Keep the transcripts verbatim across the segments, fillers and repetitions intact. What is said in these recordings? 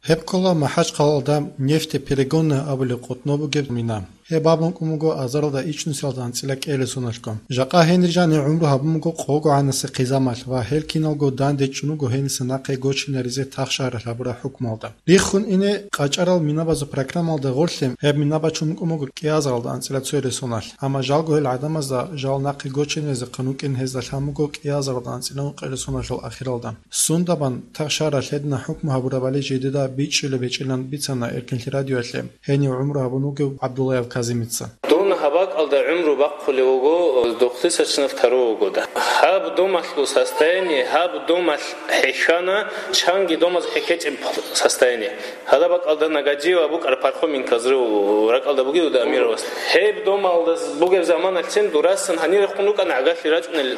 Гьеб ккола МахӀачхъалалда нефтеперегонная абулеб къотӀноб бугеб мина. Гьеб бабун кӀун буго азаралда ичӀнусиялда анцӀила кӀиялде соналъго. Жакъа гьенир жани гӀумру гьабун буго къогогӀанасе хъизамалъ ва гьел киналго данде чӀун буго гьениса нахъе гочинаризе тахшагьаралъ гьабураб хӀукмуялда. Риххун ине къачӀарал минабазул программалда гъорлъе гьеб мина бачун букӀун буго кӀиазаралда анцӀила цоялде соналъ, амма жалго гьел гӀадамазда жал нахъе гочинезехъан вукӀин гьезда лъан буго кӀиазаралда анцӀила ункъиялде соналъул ахиралда. Сундабан тахшагьаралъ гьедина хӀукму гьабурабали жидеда бичӀчӀулеб гьечӀилан бицана Эркинлъи радиоялъе гьенив гӀумру гьабун вугев ГӀабдуллаев Казимица. Дун гьаб бакӀалда гӀумру бахъулев вуго духъдисачнав таро вугода. Гьаб домалъул состояние, гьаб домалъ хӀехьана, чанги домаз хӀехьечӀеб состояние. Гьадаб бакӀалда Нагадиева букӀар Пархоменко взрыв ракӀалда бугев Амировас. Гьеб домалда бугеб заманалъцин дурасан гьанирехун рукӀана гӀагарлъи рачӀунел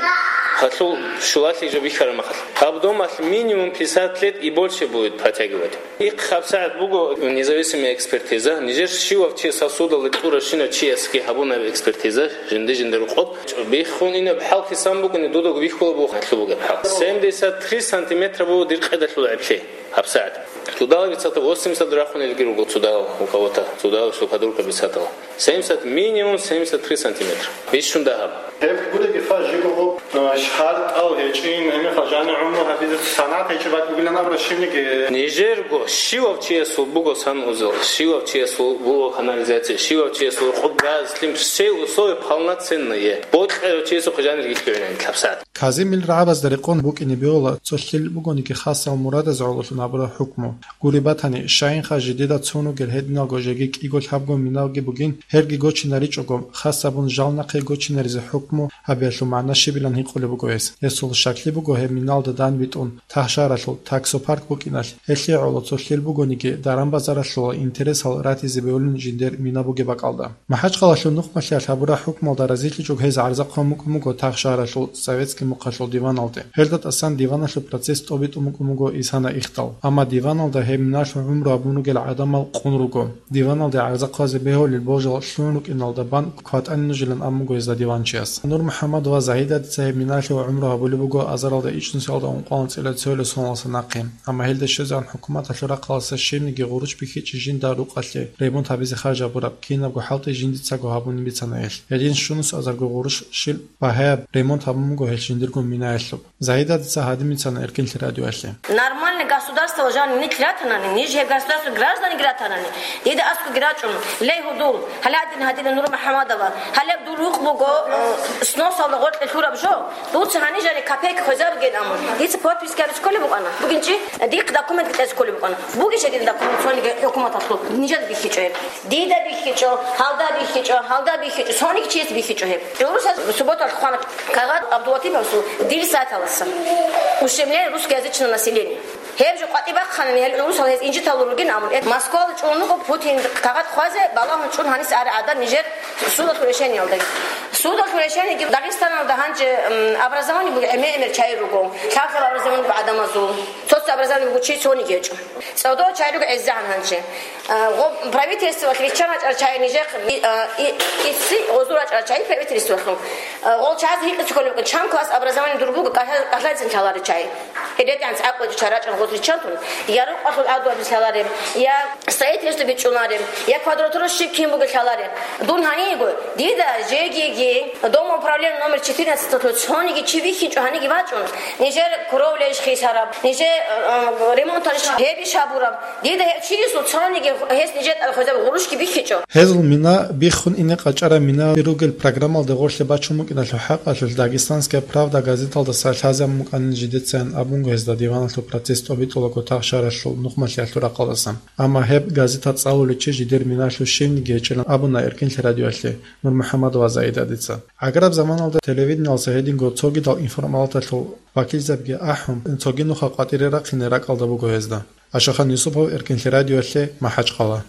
гьалъул щулалъи жо бихьараб махалъ. Гьаб домалъ минимум пятьдесят лет и больше будет протягивать. Их гьабсагӀат буго независимая экспертиза. Нижер щивав чи сосудалда кьурабщинав чиясги гьабунаб экспертиза, жинди-жиндир рукъоб. Биххун инаб хӀал хисан букӀани, дудаго бихьула буго гьалъул бугеб хӀал. Семьдесят три сантиметра буго дир къедалъул гӀеблъи. ГьабсагӀат. Цудала бицатал восемьдесят рахунелги руго цудал у кого-то, цудал что подруга бицатал. Семьдесят, минимум семьдесят три сантиметра. Бищун дагьаб. Гьеб гудаги фа жиго гъоб, а, шартӀал гьечӀин, гьениб фа жани гӀумру гьабизе санат гьечӀеб бакӀ бугилан абура щивниги. Нижерго щивав чиясул буго санузел, щивав чиясул буго канализация, щивав чиясул къуб, газ, лъим, все условия полноценные. Бокьарав чиясул хъижанир гилъугӀинани лъабсагӀат. Казимил рагӀабазда рекъон букӀине бегьула, цо лъил бугониги хасал мурадаз гӀололъун гьабураб хӀукму. Гури батани, щайинха жидеда цун ругел гьединалго жеги кӀиго лъабго миналги бугин, гьелги гочинаричӀого, хас абун жал нахъе гочинаризе хӀукму гьабиялъул магӀна щибилан гьикъулеб буго гьес. Гьесул щаклъи буго гьеб миналда данбитӀун, тахшаралъул, таксопарк букӀиналъ, гьелъие гӀоло цо лъил бугониги, даран-базаралъула интересал ратизе бегьулин жиндер мина бугеб бакӀалда. МахӀачхъалалъул нухмалъиялъ гьабураб хӀукмалда разилъичӀого гьез гӀарза хъван букӀун буго тахшагьаралъул советский мухъалъул диваналде. Гьелда тӀасан диваналъул процесс тӀобитӀун букӀун буго исана ихдал. Амма диваналда гьеб миналъул гӀумру гьабун ругел гӀадамал къун руго. Диваналде гӀарза хъвазе бегьулел божал лъун рукӀиналда бан кватӀани нужилан абун буго гьезда диванчияс. НурмухӀаммад ва Загьидадица гьеб миналъул гӀумру гьабулеб буго азаралда ичӀнусиялда ункъоялда анцӀила цоялде соналдаса нахъе. Амма гьелда щвезегӀан хӀукуматалъул рахъалдаса щибниги гъурущ бихьичӀеб жинда рукъалъе ремонт гьабизе харж гьабураб, кинабго хӀалтӀи жиндицаго гьабунин бицана гьелъ. Гьедин щунус азарго гъурущ щиб багьаяб ремонт гьабун буго гьелъ жиндирго минаялъуб. Загьидадица гьадин бицана Эркинлъи радиоялъе. Нормальный государство жанир нилъ ратанани, ниж гьеб государство гражданги ратанани, дида аскӀоги рачӀун, лей гьудул, гьаладин гьадина НурмухӀаммадова, гьалеб дур рукъ буго, э, сносалда гъоркье лъураб жо, Дуца гьанижани копейка хвезабиген, амма дица подписка гьабизе кколеб букӀана. Бугин чи? Дихъ документ кьезе кколеб букӀана. Бугищ гьедин документ цониги хӀукуматалъул? Нижеда бихьичӀо гьеб. Дида бихьичӀо, гьалда бихьичӀо, гьалда бихьичӀо, цониги чияс бихьичӀо гьеб. ГӀурусаз субботалъ хъвана кагъат ГӀабдулатиповасул дирисаталаса. Ущемление русскоязычного населения. Гьеб жо къватӀиб бахъанани, гьел гӀурусал гьез инжиталур ругин, амма Москвала чӀун руго Путин кагъат хъвазе, балагьун чӀун гьаниса ари гӀадан нижер судалъул решениялдаги. Судалъул решениеги Дагъистаналда гьанже, м, образование буго гӀемер-гӀемер чагӀи руго, лъабкъоялда образование буго гӀадамазул, цо-цо образование буго чи цониги гьечӀо. ЦӀодо чагӀи руго гӀезегӀан гьанже. А, гъо-, правительствоялъ риччан рачӀарал чагӀи нижехъ, и, а, и, исси гъозул рачӀарал чагӀи правительствоялъул. А, гъол чагӀаз гьикъизе кколеб букӀан, чан класс образование дур буго, кӀалъа-, кӀалъайцин лъаларел чагӀи. Гьел ретӀанцӀ гӀакъуги чарачӀун гъоз риччантун, я рукъалъул гӀаду абизе лъалареб, я строительство бичӀчӀулареб, я квадратура щиб кин бугеб лъалареб. Дун гьаниего, дида жегиги, домоуправление номер четырнадцать цониги чи вихьинчӀо гьаниги вачӀун, нижер кровля иш хисараб, нижер, э, ремонт гьабураб, гьебищ гьабураб. Дида гьев чиясул цониги гьес нижер тӀад хвезаб гъурущги бихьичӀо. Гьезул мина биххун ине къачӀараб мина ругел программалда гъорлъе бачун букӀиналъул хӀакъалъулъ Дагестанская правда газеталдаса лъазабун букӀанин жидецайин абунго гьезда диваналъул процесс тӀобитӀулаго тахшаралъул нухмалъиялъул рахъалдасан. Амма гьеб газета цӀалулев чи жидер миналъул щивниги гьечӀилан абуна Эркинлъи радиоялъе НурмухӀаммад ва Заидадица. ГӀагараб заманалда телевидениялдаса гьединго цогидал информалаталъул вакилзабиги ахӀун, цоги нуха къватӀире рахъине ракӀалда буго гьезда. Ашахан Юсупов, Эркинлъи радиоялъе, МахӀачхъала.